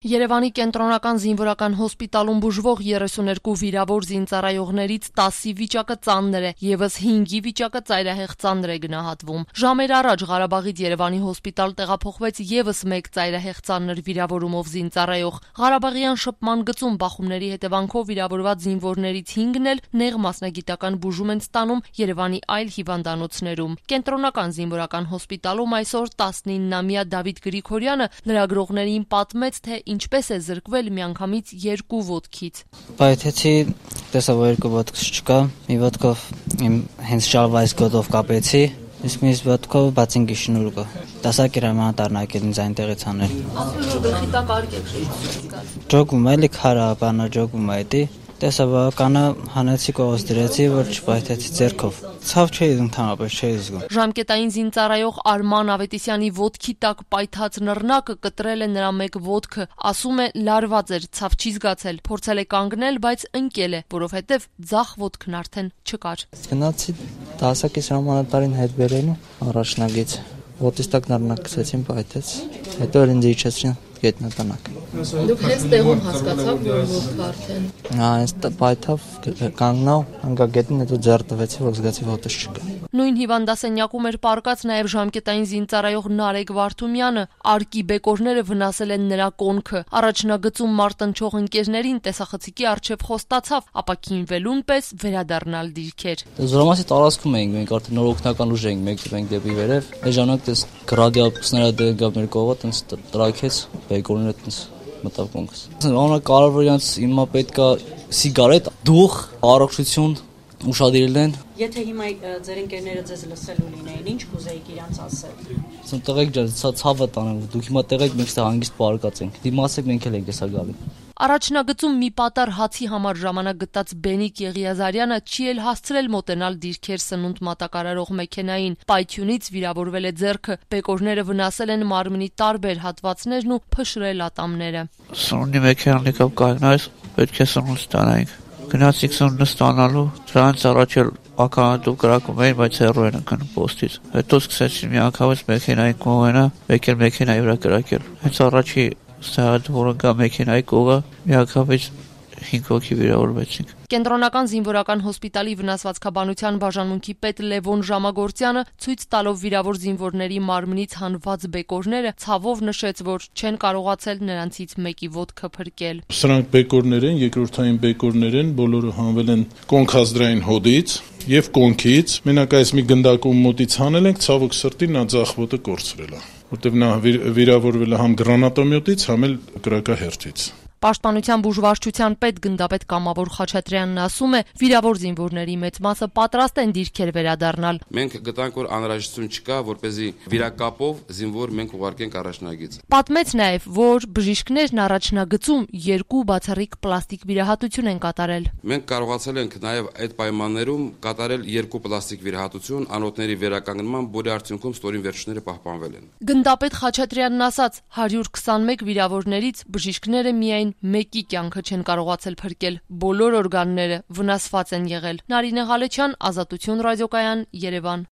Երևանի կենտրոնական զինվորական հոսպիտալում բուժվող 32 վիրավոր զինծառայողներից 10-ի վիճակը ծանր է, ևս 5-ի վիճակը ծայրահեղ ծանր է գնահատվում։ Ժամեր առաջ Ղարաբաղից Երևանի հոսպիտալ տեղափոխվեց ևս մեկ ծայրահեղ ծանր վիրավորումով զինծառայող։ Ղարաբաղյան շփման գծում բախումների հետևանքով վիրավորված զինվորներից 5-ն էլ նեղ մասնագիտական բուժում են ստանում Երևանի այլ հիվանդանոցներում։ Կենտրոնական զինվորական հոսպիտալում այսօր 19-ամյա Դավիթ Գրիգորյանը լրագրողներին պատմեց, թե ինչպես է զրկվել միանգամից 2 ոտքից։ Պայթեցի, տեսա, որ 2 ոտքս չկա, մի ոտքով իմ հենց շալվայից գոտով կապեցի, իսկ մյուս ոտքով բացինքի շնուրկը։ Դասակ էր մանտառնակել ինձ այնտեղից անել։ Ասում որ գլխի տակ արգեք շեշտած։ Ջոգում էլի քարա բանա ջոգում է դի։ Տեսա բականը հանեցի կողոց դրեցի, որ չպայթեցի ձեռքով։ Ցավ չէի ընդհանրապես չէի զգում։ Ժամկետային զինծառայող Արման Ավետիսյանի ոտքի տակ պայթած նռնակը կտրել է նրա մեկ ոտքը, ասում է լարված էր, ցավ չի զգացել, փորձել է կանգնել, բայց ընկել է, որովհետև ձախ ոտքն արդեն չկար։ Գնացի դասակից հրամանատարին հետ բերելու առաջնագից։ Ոտից տակ նռնակ գցեցին, պայթեց։ Հետո ինձ իջեցրին գետնականակ։ Դուք հենց տեղում հասկացաք, որ ոտքը արդեն։ Հենց պայթավ, կանգնավ, հանգա գետնին, հետո ձեռ տվեցի, որ զգացի ոտս չկա։ Նույն հիվանդասենյակում էր պառկած նաև ժամկետային զինծառայող Նարեկ Վարդումյանը։ Արկի բեկորները վնասել են նրա կոնքը։ Առաջնագծում մարտնչող ընկերներին տեսախցիկի առջև խոստացավ, ապա քինվելուն պես վերադառնալ դիրքեր։ Զորամասի տարածքում էինք, մենք արդեն նոր օգնական ուժ էինք մեկտենք դեպի վերև։ Այս ժամանակ դες գրադիապուսները դեպի մեր կողը տենց տրակեց, բեկորները տենց մտավ կոնքս։ Ամենակարևորը հիմա պետքա սիգարետ, դուխ, առողջություն ուշադրել են։ Եթե հիմա ձեր ընկերները ձեզ լսելու լինեին, ինչ կուզեիք իրանց ասել։ Ասում տղեկ ջան, ցավը տանեմ, դուք հիմա տղեկ մենք ստեղ հանգիստ պարկած ենք։ Դիմացեք մենք էլ ենք հեսա գալի։ Առաջնագծում մի պատար հացի համար ժամանակ գտած Բենիկ Եղիազարյանը չի էլ հասցրել մոտենալ դիրքեր սնունդ մատակարարող մեքենային։ Պայթյունից վիրավորվել է ձեռքը, բեկորները վնասել են մարմնի տարբեր հատվածներն ու փշրել ատամները։ Սնունդի մեքենան եկավ կայնայից, պետք է սնունդ ստանայինք։ Գնացիք սնունդը ստանալու, դրանից առաջ էլ ականատու կրակում էին, բայց հեռու են ընկնում պոստից։ Հետո սկսեցին միանգամից մեքենայի կողմենա, մեկ էլ մեքենայի վրա կրակել։ Հենց առաջի ստահատ, որը գա մեքենայի կողը, միանգամից 5 հոգի վիրավորվեցինք։ Կենտրոնական զինվորական հոսպիտալի վնասվածքաբանության բաժանմունքի պետ Լևոն Ժամագործյանը ցույց տալով վիրավոր զինվորների մարմնից հանված բեկորները ցավով նշեց, որ չեն կարողացել նրանցից մեկի ոտքը փրկել։ Սրանք բեկորներ են, երկրորդային բեկորներ են, բոլորը հանվել են կոնքազդրային հոդից եւ կոնքից։ Մենակ այս մի գնդակում մոտից հանել ենք, ցավոք սրտի նա ձախ ոտը կորցրել է, որտեղ նա վիրավորվել է համ գրանատոմյոտից, համ էլ կրակահերթից։ Պաշտպանության բուժվարչության պետ գնդապետ Կամավոր Խաչատրյանն ասում է, վիրավոր զինվորների մեծ մասը պատրաստ են դիրքեր վերադառնալ։ Մենք գտանք, որ անհրաժեշտություն չկա, որպեսզի վիրակապով զինվոր մենք ուղարկենք առաջնագիծ։ Պատմեց նաև, որ բժիշկներն առաջնագծում 2 բացառիկ պլաստիկ վիրահատություն են կատարել։ Մենք կարողացել ենք նաև այդ պայմաններում կատարել 2 պլաստիկ վիրահատություն, անոթների վերականգնման, որի արդյունքում ստորին վերջները պահպանվել են։ Գնդապետ Խաչատրյանն ասաց, 121 վիրավորներից բժիշկները միայն մեկի կյանքը չեն կարողացել փրկել, բոլոր օրգանները վնասված են եղել։ Նարինե Ղալեչյան, Ազատություն ռադիոկայան, Երևան։